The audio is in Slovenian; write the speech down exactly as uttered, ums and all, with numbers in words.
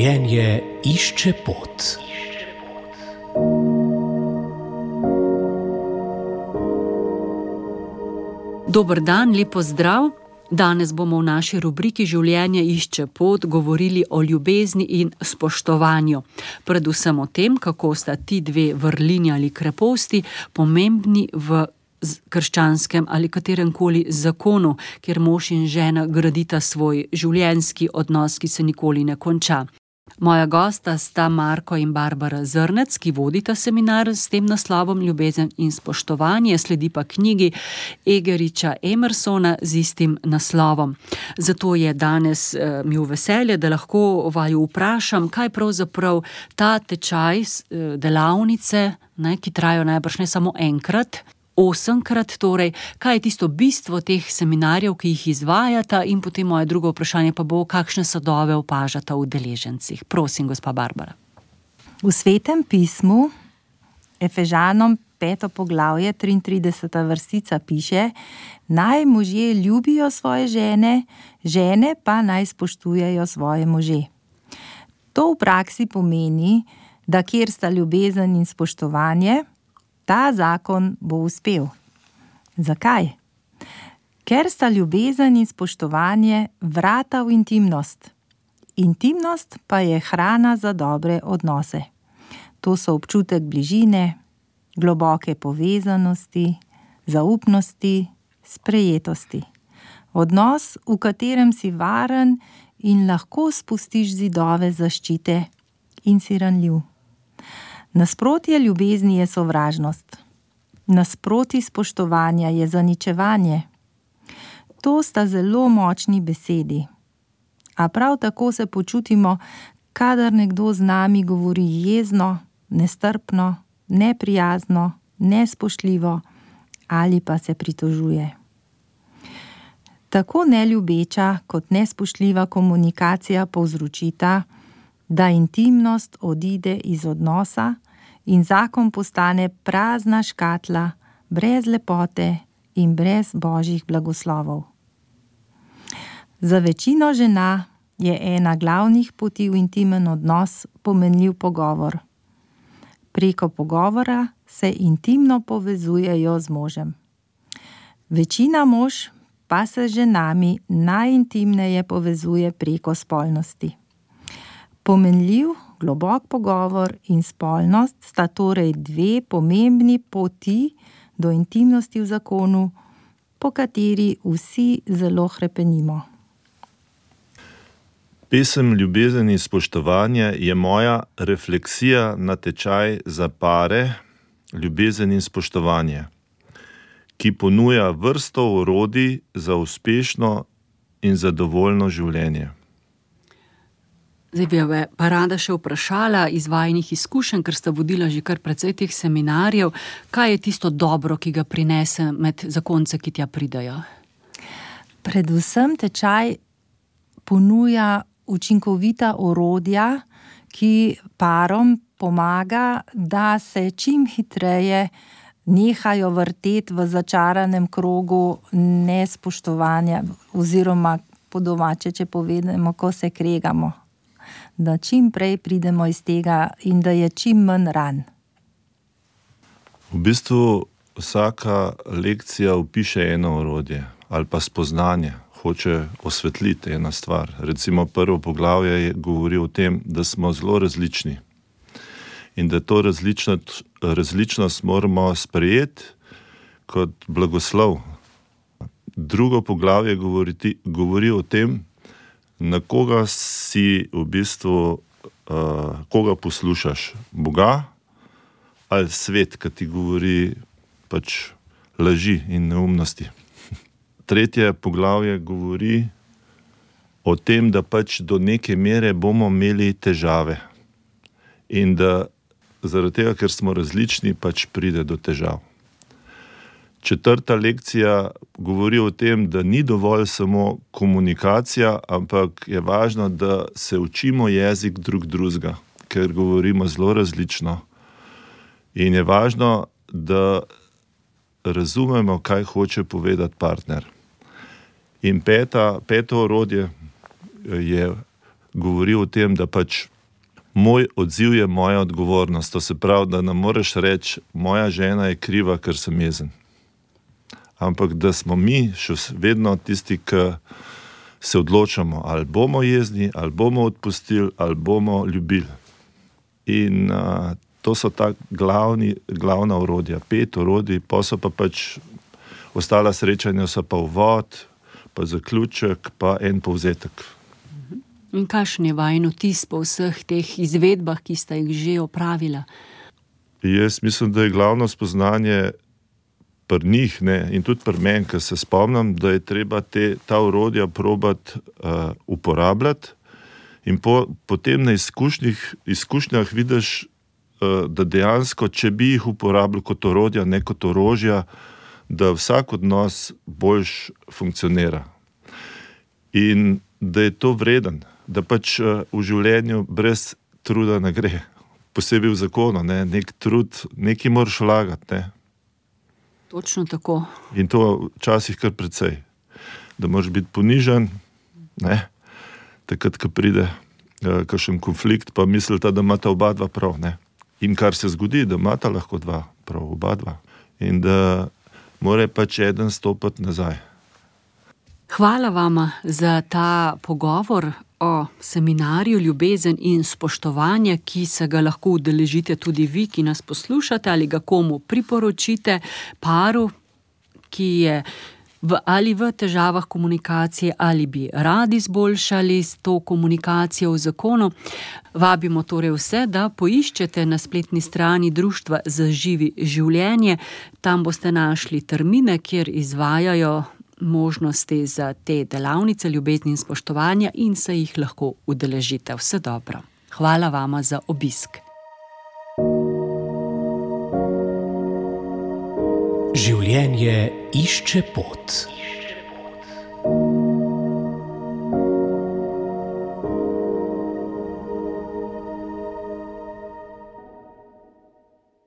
Življenje išče pot. Dober dan, lep pozdrav. Danes bomo v naši rubriki Življenje išče pot govorili o ljubezni in spoštovanju. Predvsem o tem, kako sta ti dve vrlini ali kreposti pomembni v krščanskem ali kateremkoli zakonu, kjer mož in žena gradita svoj življenjski odnos, ki se nikoli ne konča. Moja gosta sta Marko in Barbara Zrnec, ki vodita seminar s tem naslovom Ljubezen in spoštovanje, sledi pa knjigi Egeriča Emersona z istim naslovom. Zato je danes eh, mi v veselje, da lahko vaju vprašam, kaj pravzaprav ta tečaj eh, delavnice, ne, ki trajajo najbrž ne samo enkrat, osemkrat, torej, kaj je tisto bistvo teh seminarjev, ki jih izvajata, in potem moje drugo vprašanje pa bo, kakšne sadove opažata v udeležencih. Prosim, gospa Barbara. V Svetem pismu, Efežanom peto poglavje, triintrideseta vrstica piše: naj možje ljubijo svoje žene, žene pa naj spoštujejo svoje može. To v praksi pomeni, da kjer sta ljubezen in spoštovanje, ta zakon bo uspel. Zakaj? Ker sta ljubezen in spoštovanje vrata v intimnost. Intimnost pa je hrana za dobre odnose. To so občutek bližine, globoke povezanosti, zaupnosti, sprejetosti. Odnos, v katerem si varen in lahko spustiš zidove zaščite in si ranljiv. Nasprotje ljubezni je sovražnost. Nasproti spoštovanja je zaničevanje. To sta zelo močni besedi. A prav tako se počutimo, kadar nekdo z nami govori jezno, nestrpno, neprijazno, nespoštljivo ali pa se pritožuje. Tako neljubeča kot nespoštljiva komunikacija povzročita, da intimnost odide iz odnosa in zakon postane prazna škatla, brez lepote in brez božjih blagoslovov. Za večino žena je ena glavnih poti v intimen odnos pomenljiv pogovor. Preko pogovora se intimno povezujejo z možem. Večina mož pa se z ženami najintimneje povezuje preko spolnosti. Pomenljiv, globok pogovor in spolnost sta torej dve pomembni poti do intimnosti v zakonu, po kateri vsi zelo hrepenimo. Pesem Ljubezen in spoštovanje je moja refleksija na tečaj za pare Ljubezen in spoštovanje, ki ponuja vrsto orodij za uspešno in zadovoljno življenje. Zdaj bi jo pa rada še vprašala iz vajinih izkušenj, ker sta vodila že kar precej teh seminarjev, kaj je tisto dobro, ki ga prinese med zakonce, ki tja pridajo? Predvsem tečaj ponuja učinkovita orodja, ki parom pomaga, da se čim hitreje nehajo vrteti v začaranem krogu nespoštovanja oziroma po domače, če povedemo, ko se kregamo. Da čim prej pridemo iz tega in da je čim manj ran. V bistvu vsaka lekcija opiše eno orodje ali pa spoznanje, hoče osvetliti ena stvar. Recimo prvo poglavje govori o tem, da smo zelo različni in da to različnost, različnost moramo sprejeti kot blagoslov. Drugo poglavje govori, govori o tem, na koga si v bistvu, uh, koga poslušaš, Boga ali svet, ki ti govori pač laži in neumnosti. Tretje poglavje govori o tem, da pač do neke mere bomo imeli težave in da zaradi tega, ker smo različni, pač pride do težav. Četrta lekcija govori o tem, da ni dovolj samo komunikacija, ampak je važno, da se učimo jezik drug drugega, ker govorimo zelo različno. In je važno, da razumemo, kaj hoče povedati partner. In peta, peto orodje je govori o tem, da pač moj odziv je moja odgovornost. To se pravi, da ne moreš reči, moja žena je kriva, ker sem jezen. Ampak da smo mi še vedno tisti, ki se odločamo, ali bomo jezni, ali bomo odpustili, ali bomo ljubili. In uh, to so ta glavni, glavna orodja, pet orodij, pa so pa pač ostala srečanja, so pa uvod, pa zaključek, pa en povzetek. In kakšen je vajen vtis po vseh teh izvedbah, ki sta jih že opravila? Jaz mislim, da je glavno spoznanje pri njih, ne, in tudi pri meni, ker se spomnim, da je treba te, ta orodja probati uh, uporabljati in po, potem na izkušnjah, izkušnjah vidiš, uh, da dejansko, če bi jih uporabljal kot orodja, ne kot orožja, da vsak odnos boljš funkcionira. In da je to vreden, da pač uh, v življenju brez truda ne gre. Posebej v zakonu, ne, nek trud, nekaj moraš vlagati, ne. Točno tako. In to včasih kar precej. Da moraš biti ponižen, ne, takrat, ko pride uh, kakšen konflikt, pa mislite, da imata oba dva prav, ne. In kar se zgodi, da imata lahko dva prav, oba dva. In da mora pač eden stopiti nazaj. Hvala vama za ta pogovor o seminarju Ljubezen in spoštovanje, ki se ga lahko udeležite tudi vi, ki nas poslušate, ali ga komu priporočite, paru, ki je v, ali v težavah komunikacije, ali bi radi izboljšali s to komunikacijo v zakonu. Vabimo torej vse, da poiščete na spletni strani Društva za živi življenje. Tam boste našli termine, kjer izvajajo možnosti za te delavnice ljubezni in spoštovanja in se jih lahko udeležite. Vse dobro. Hvala vama za obisk. Življenje išče pot.